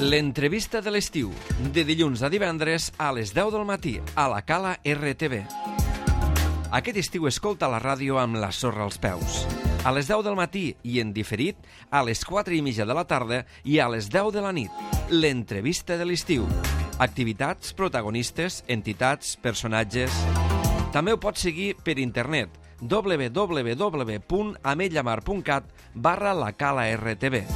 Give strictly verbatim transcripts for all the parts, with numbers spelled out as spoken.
L'entrevista de l'estiu, de dilluns a divendres a les deu del matí, a la Cala R T V. Aquest estiu escolta la ràdio amb la sorra als peus. A les deu del matí i en diferit, a les quatre i mitja de la tarda i a les deu de la nit. L'entrevista de l'estiu. Activitats, protagonistes, entitats, personatges... També ho pots seguir per internet, w w w punt ametlllamar punt cat barra la Cala R T V.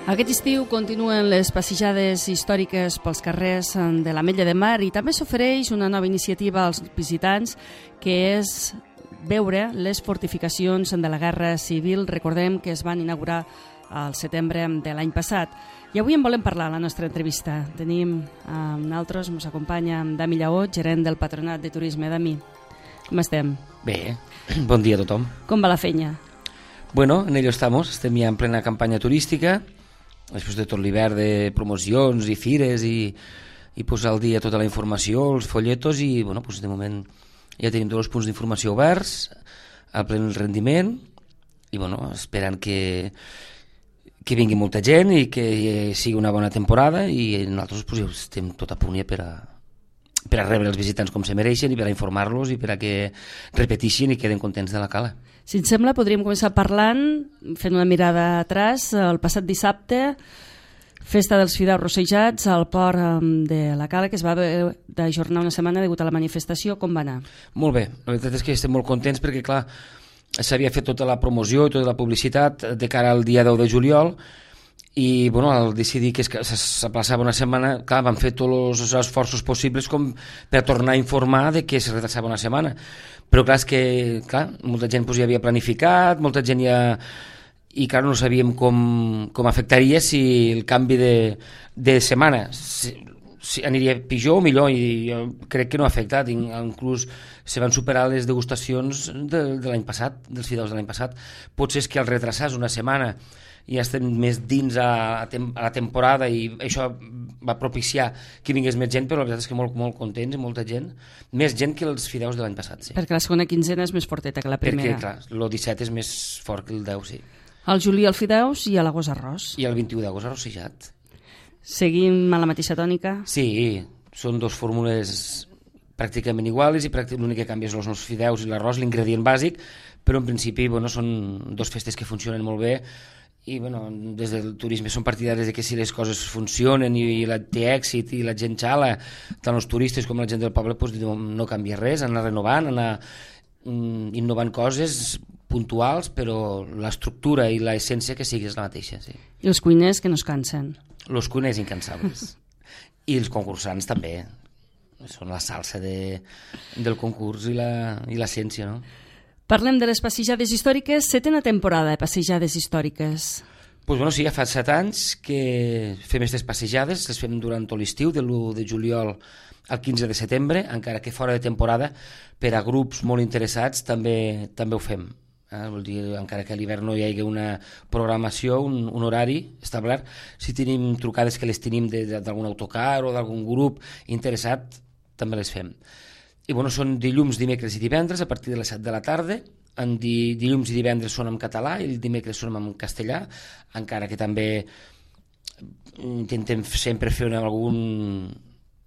Aquest estiu continuen les passejades històriques pels carrers de l'Ametlla de Mar i també s'ofereix una nova iniciativa als visitants que és veure les fortificacions de la Guerra Civil. Recordem que es van inaugurar al setembre de l'any passat. I avui en volem parlar a la nostra entrevista. Tenim amb nosaltres, ens acompanya Dami Lleó, gerent del Patronat de Turisme. Dami, com estem? Bé, bon dia a tothom. Com va la feina? Bueno, en ello estamos, estem ja en plena campanya turística, després de tot l'hivern de promocions i fires i, i posar al dia tota la informació, els folletos i bueno, pues de moment ja tenim tots els punts d'informació oberts, al plen rendiment i bueno, esperant que, que vingui molta gent i que sigui una bona temporada i nosaltres pues, estem tot a punt ja per a, per a rebre els visitants com se mereixen i per a informar-los i per a que repeteixin i queden contents de la cala. Si et sembla, podríem començar parlant, fent una mirada atràs. El passat dissabte, festa dels fideus rossejats al port de la Cala, que es va d'ajornar una setmana degut a la manifestació. Com va anar? Molt bé, la veritat és que estem molt contents perquè, clar, s'havia fet tota la promoció i tota la publicitat de cara al dia deu de juliol i, bueno, al decidir que s'aplaçava una setmana, clar, van fer tots els esforços possibles com per tornar a informar de que es retrasava una setmana. Però clar, és que clar, molta gent pues, ja havia planificat, molta gent ja... I clar, no sabíem com, com afectaria si el canvi de, de setmana si, si aniria pitjor o millor, i jo crec que no ha afectat. Inclús se van superar les degustacions de, de l'any passat, dels fideus de l'any passat. Potser és que al retrasar una setmana ja estem més dins a, a, tem, a la temporada i això va propiciar que vingués més gent, però la veritat és que molt, molt contents i molta gent, més gent que els fideus de l'any passat. Sí. Perquè la segona quinzena és més forteta que la primera. Perquè, clar, el disset és més fort que el deu, sí. Al juliol fideus i a l'agost arròs. I el vint-i-u d'agost arrossejat. Seguim a la mateixa tònica? Sí, són dos fórmules pràcticament iguals i l'únic que canvia és els nostres fideus i l'arròs, l'ingredient bàsic, però en principi bueno, són dos festes que funcionen molt bé. I bueno, des del turisme són partidaris de que si les coses funcionen i, i la, té èxit i la gent xala, tant els turistes com la gent del poble, pues, no canvia res, anar renovant, anar mm, innovant coses puntuals, però l'estructura i l'essència que sigui és la mateixa. Sí. I els cuiners que no es cansen? Els cuiners incansables. I els concursants també. Són la salsa de, del concurs i l'essència, no? Parlem de les passejades històriques, setena temporada de passejades històriques. Pues bueno, sí, ja fa set anys que fem aquestes passejades, les fem durant tot l'estiu, de l'u de juliol al quinze de setembre, encara que fora de temporada, per a grups molt interessats també també ho fem. Eh? Vol dir, encara que a l'hivern no hi hagi una programació, un, un horari establert, si tenim trucades que les tenim d'algun autocar o d'algun grup interessat, també les fem. I bueno, són dilluns, dimecres i divendres a partir de les set de la tarda. En di, dilluns i divendres són en català i el dimecres són en castellà, encara que també intentem sempre fer algun...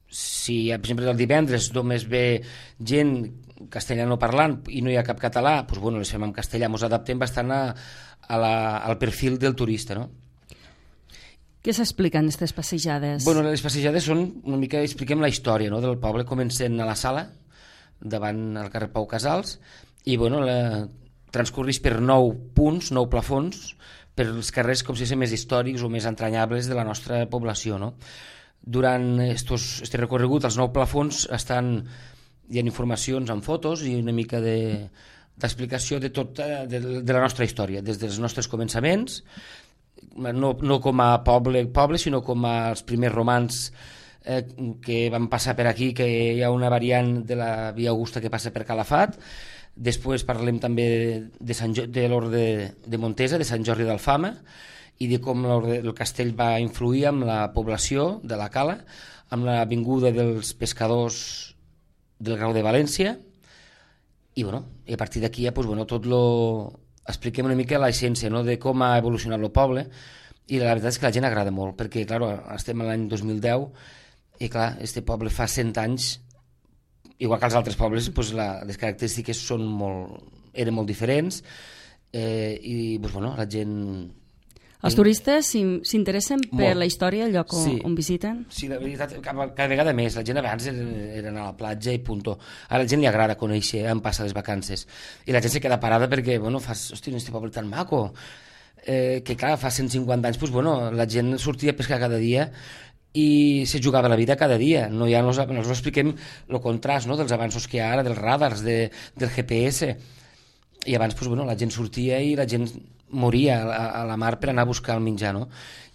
Si, per exemple, el divendres només ve gent castellano parlant i no hi ha cap català, doncs bueno, les fem en castellà, ens adaptem bastant a, a la, al perfil del turista, no? Què s'expliquen aquestes passejades? Bueno, les passejades són una mica, expliquem la història, no?, del poble. Comencem a la Sala, davant al carrer Pau Casals, i bueno, la, transcorreix per nou punts, nou plafons, per els carrers com si fossin més històrics o més entranyables de la nostra població, no? Durant estos, este recorregut, els nou plafons estan, hi ha informacions amb fotos i una mica de, d'explicació de tota de, de la nostra història, des dels nostres començaments, no, no com a poble, poble, sinó com als primers romans eh, que van passar per aquí, que hi ha una variant de la Via Augusta que passa per Calafat. Després parlem també de, Sant jo de l'Orde de Montesa, de Sant Jordi d'Alfama, i de com el castell va influir amb la població de la Cala, amb la vinguda dels pescadors del Grau de València, i, bueno, i a partir d'aquí ja pues, bueno, tot lo... expliquem una mica l'essència, no?, de com ha evolucionat el poble, i la veritat és que la gent agrada molt, perquè clar, estem a l'any dos mil deu i clar, este poble fa cent anys, igual que els altres pobles, pues, la, les característiques són molt, eren molt diferents, eh, i pues, bueno, la gent... Els turistes s'interessen per la història, el lloc on, sí. on visiten? Sí, la veritat, cada, cada vegada més. La gent abans era, era anar a la platja i puntó. Ara a la gent li agrada conèixer on passa les vacances. I la gent se queda parada perquè, bueno, fas, hosti, este poble tan maco, eh, que clar, fa cent cinquanta anys, pues, bueno, la gent sortia a pescar cada dia i se jugava la vida cada dia. No, ja nos, nos expliquem el contrast, no?, dels avanços que hi ha ara, dels radars, de, del G P S. I abans, pues, bueno, la gent sortia i la gent moria a, a la mar per anar a buscar el menjar, no?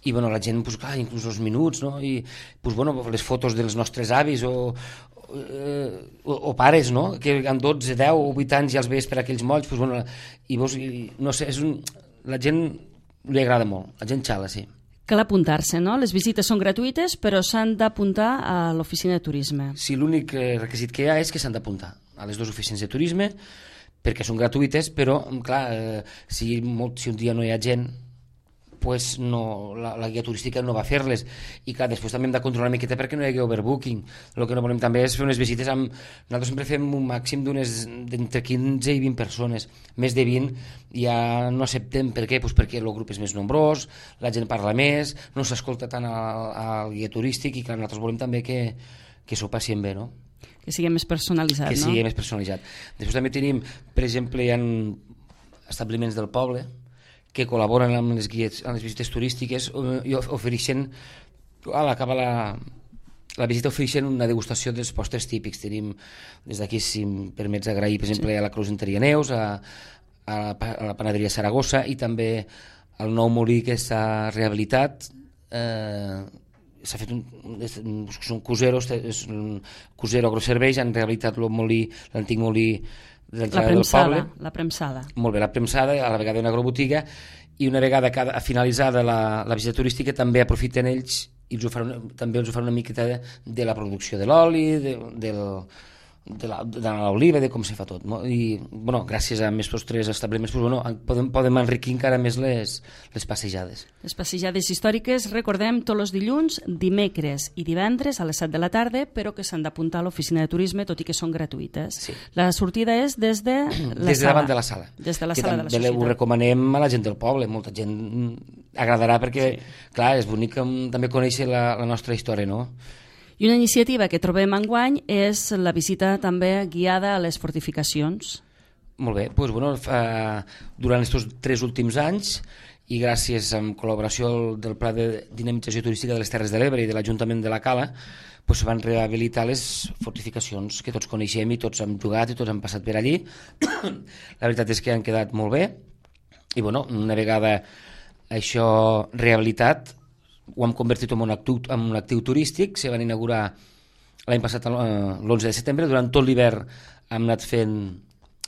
I bueno, la gent, pues, clar, inclús els minuts, no? I pues, bueno, les fotos dels nostres avis o, eh, o, o pares, no?, que amb dotze, deu o vuit anys ja els veies per aquells molls, pues, bueno, i vos, i, no sé, és un, la gent li agrada molt, la gent xala, sí. Cal apuntar-se, no? Les visites són gratuïtes, però s'han d'apuntar a l'oficina de turisme. Sí, l'únic requisit que hi ha és que s'han d'apuntar a les dues oficines de turisme, perquè són gratuïtes, però, clar, eh, si, molt, si un dia no hi ha gent, pues no, la, la guia turística no va a fer-les. I, clar, després també hem de controlar una miqueta perquè no hi hagi overbooking. El que no volem també és fer unes visites amb... Nosaltres sempre fem un màxim d'unes d'entre quinze i vint persones. Més de vint ja no acceptem. Per què? Pues perquè el grup és més nombrós, la gent parla més, no s'escolta tant al, al guia turístic i, clar, nosaltres volem també que, que s'ho passem bé, no? Que sigui més personalitzat, que no? Que sigui més personalitzat. Després també tenim, per exemple, hi ha establiments del poble que col·laboren amb les guies, amb les visites turístiques i ofereixen, a l'acabar la, la visita ofereixen una degustació dels postres típics. Tenim, des d'aquí, si em permets agrair, per exemple, sí. a la Cruz Enteria Neus, a, a, la, a la panaderia Saragossa i també al nou molí que està rehabilitat, eh, s'ha fet un, són cuseros, és un cusero agroserveis, han rehabilitat el molí, l'antic molí de l'entrada del poble. La premsada. Molt bé, la premsada, a la vegada una agrobotiga, i una vegada cada, finalitzada la, la visita turística també aprofiten ells i els ho fan, també els ho fan una miqueta de, de la producció de l'oli, de, del... de l'oliva, de com se fa tot, no? I bueno, gràcies a aquests tres establiments pues, bueno, podem, podem enriquir encara més les, les passejades. Les passejades històriques, recordem, tots els dilluns, dimecres i divendres a les set de la tarda, però que s'han d'apuntar a l'oficina de turisme, tot i que són gratuïtes. Sí. La sortida és des de la des de sala. davant de la sala. Des de la que sala de la societat. Ho recomanem a la gent del poble, molta gent agradarà perquè, sí. clar, és bonic també conèixer la, la nostra història, no? I una iniciativa que trobem enguany és la visita també guiada a les fortificacions. Molt bé, doncs, bueno, fa, durant aquests tres últims anys i gràcies a col·laboració del Pla de Dinamització Turística de les Terres de l'Ebre i de l'Ajuntament de la Cala, doncs, van rehabilitar les fortificacions que tots coneixem i tots hem jugat i tots hem passat per allí. La veritat és que han quedat molt bé i bueno, una vegada això rehabilitat ho hem convertit en un actiu, en un actiu turístic. Se van inaugurar l'any passat l'onze de setembre, durant tot l'hivern hem anat fent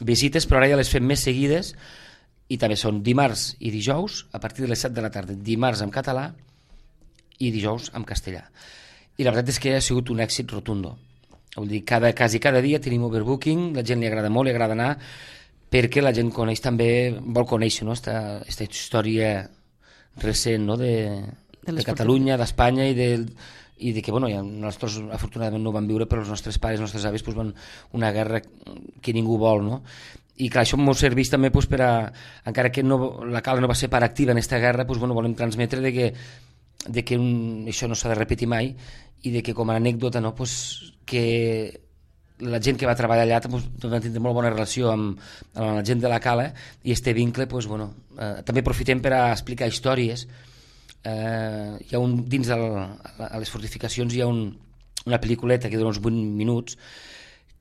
visites, però ara ja les fem més seguides i també són dimarts i dijous a partir de les set de la tarda, dimarts en català i dijous en castellà. I la veritat és que ha sigut un èxit rotundo. Vull dir, cada, quasi cada dia tenim overbooking, la gent li agrada molt, li agrada anar, perquè la gent coneix també, vol conèixer, no?, esta, esta història recent, no?, de... de, de Catalunya, d'Espanya i de, i de que, bueno, ja nosaltres afortunadament no ho vam viure, però els nostres pares, els nostres avis, pues, van una guerra que ningú vol, no? I clar, això ens serveix també pues, per a, encara que no, la Cala no va ser part activa en aquesta guerra, pues, bueno, volem transmetre de que, de que un, això no s'ha de repetir mai i de que com a anècdota, no, pues, que la gent que va treballar allà pues, va tindre molt bona relació amb, amb la gent de la Cala i este vincle, pues, bueno, eh, també aprofitem per a explicar històries. Eh, hi ha un, dins del, a les fortificacions hi ha un, una pel·lículeta que dura uns vuit minuts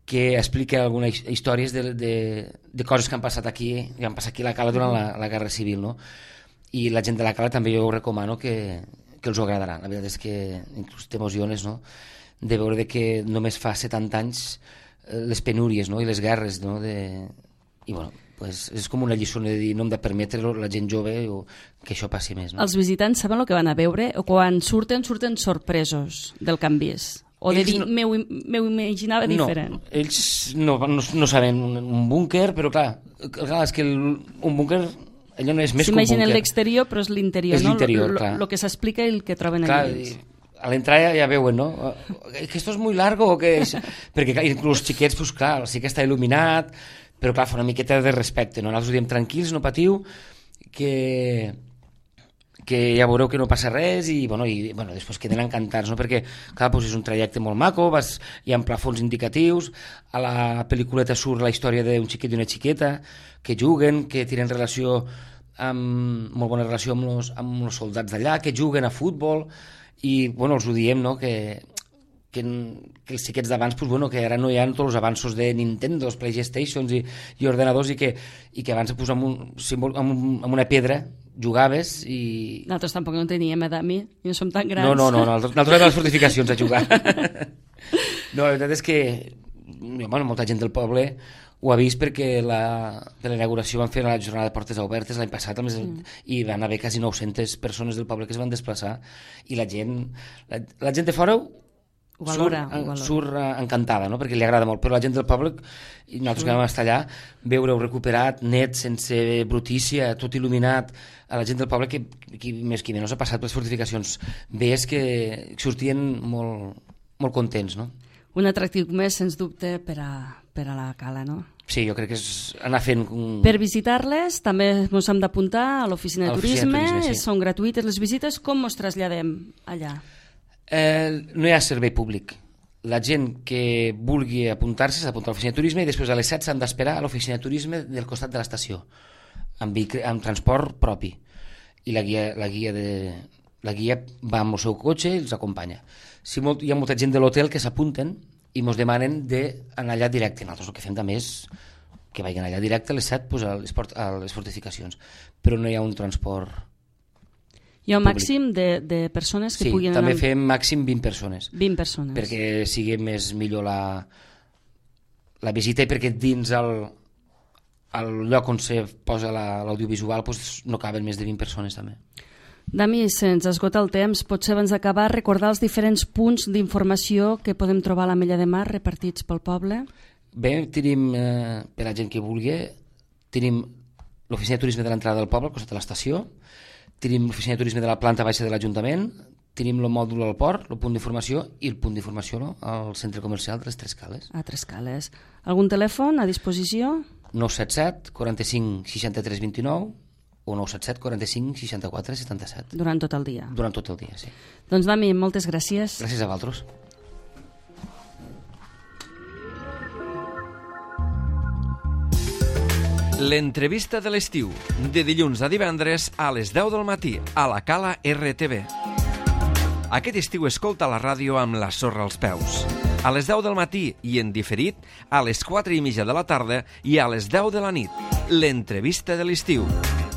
que explica algunes històries de, de, de coses que han passat aquí, que han passat aquí a la Cala durant la, la Guerra Civil, no? I la gent de la Cala també jo ho recomano que, que els agradarà. La veritat és que inclús t'emociones, no?, de veure que només fa setanta anys les penúries, no?, i les guerres, no?, de... i bueno, pues és com una lliçó de dir no hem de permetre la gent jove o que això passi més, no? Els visitants saben el que van a veure o quan surten, surten sorpresos del que han vist? O de dir, no... m'ho imaginava diferent? No, ells no, no, no saben un, un búnquer, però clar, clar és que el, un búnquer allò no és més que un búnquer. S'imaginen l'exterior, però és l'interior, no? És l'interior, clar. El que s'explica i el que troben clar, allà ells. A l'entrada ja veuen, no? Que esto es muy largo, o que... perquè clar, inclús els xiquets, pues, clar, sí que està il·luminat, però clar, fa una miqueta de respecte, no? Nosaltres ho diem tranquils, no patiu, que, que ja veureu que no passa res i, bueno, i bueno, després queden encantats, no? Perquè clar, doncs és un trajecte molt maco, vas, hi ha plafons indicatius, a la pel·lículeta surt la història d'un xiquet i una xiqueta que juguen, que tenen relació amb, molt bona relació amb els, amb els soldats d'allà, que juguen a futbol i bueno, els ho diem, no? que Que, que els xiquets d'abans, pues, bueno, que ara no hi ha tots els avanços de Nintendo, Playstations i, i ordenadors i que, i que abans pues, amb, un, amb, un, amb una pedra jugaves i... Nosaltres tampoc no en teníem, eh, Dami? No som tan grans. No, no, no, nosaltres anem a les fortificacions a jugar. No, la veritat és que bueno, molta gent del poble ho ha vist perquè la, per l'inauguració van fer la jornada de portes obertes l'any passat mm. i van haver quasi nou-centes persones del poble que es van desplaçar i la gent, la, la gent de fora Ho valora, surt, ho valora. surt encantada, no? Perquè li agrada molt, però la gent del poble, i nosaltres que vam estar allà, veure-ho recuperat, net, sense brutícia, tot il·luminat, a la gent del poble que, que més que menys ha passat per les fortificacions veies que sortien molt, molt contents, no? Un atractiu més, sens dubte, per a, per a la cala, no? Sí, jo crec que és anar fent... Un... Per visitar-les també ens hem d'apuntar a l'oficina de turisme, de turisme sí. Són gratuïtes les visites, com ens traslladem allà? Eh, no hi ha servei públic. La gent que vulgui apuntar-se s'ha d'apuntar a l'oficina de turisme i després a les set s'han d'esperar a l'oficina de turisme del costat de l'estació amb, amb transport propi i la guia, la, guia de, la guia va amb el seu cotxe i els acompanya. Si molt, hi ha molta gent de l'hotel que s'apunten i ens demanen d'anar allà directe. Nosaltres el que fem també és que vagin allà directe a les set pues, a, les port, a les fortificacions, però no hi ha un transport. Hi ha un màxim de, de persones que sí, puguin anar... Sí, també amb... fem màxim vint persones. vint persones. Perquè sigui més millor la, la visita i perquè dins el, el lloc on se posa l'audiovisual la, pues, no caben més de vint persones també. Dami, se'ns esgota el temps. Potser abans d'acabar recordar els diferents punts d'informació que podem trobar a l'Ametlla de Mar repartits pel poble? Bé, tenim, eh, per a gent que vulgui, tenim l'oficina de turisme de l'entrada del poble, al costat de l'estació, tenim l'oficina de turisme de la planta baixa de l'Ajuntament, tenim el mòdul al port, el punt d'informació i el punt d'informació no? al centre comercial de les Tres Cales. A Tres Cales. Algun telèfon a disposició? nou set set, quaranta-cinc, seixanta-tres, vint-i-nou o nou set set, quaranta-cinc, seixanta-quatre, setanta-set. Durant tot el dia? Durant tot el dia, sí. Doncs, Dami, moltes gràcies. Gràcies a vosaltres. L'entrevista de l'estiu, de dilluns a divendres a les deu del matí, a la Cala R T V. Aquest estiu escolta la ràdio amb la sorra als peus. A les deu del matí i en diferit, a les quatre i mitja de la tarda i a les deu de la nit. L'entrevista de l'estiu.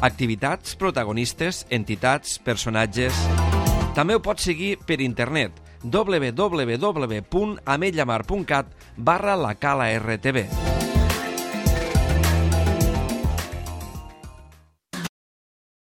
Activitats, protagonistes, entitats, personatges... També ho pots seguir per internet w w w punt ametlla mar punt cat barra la Cala R T V.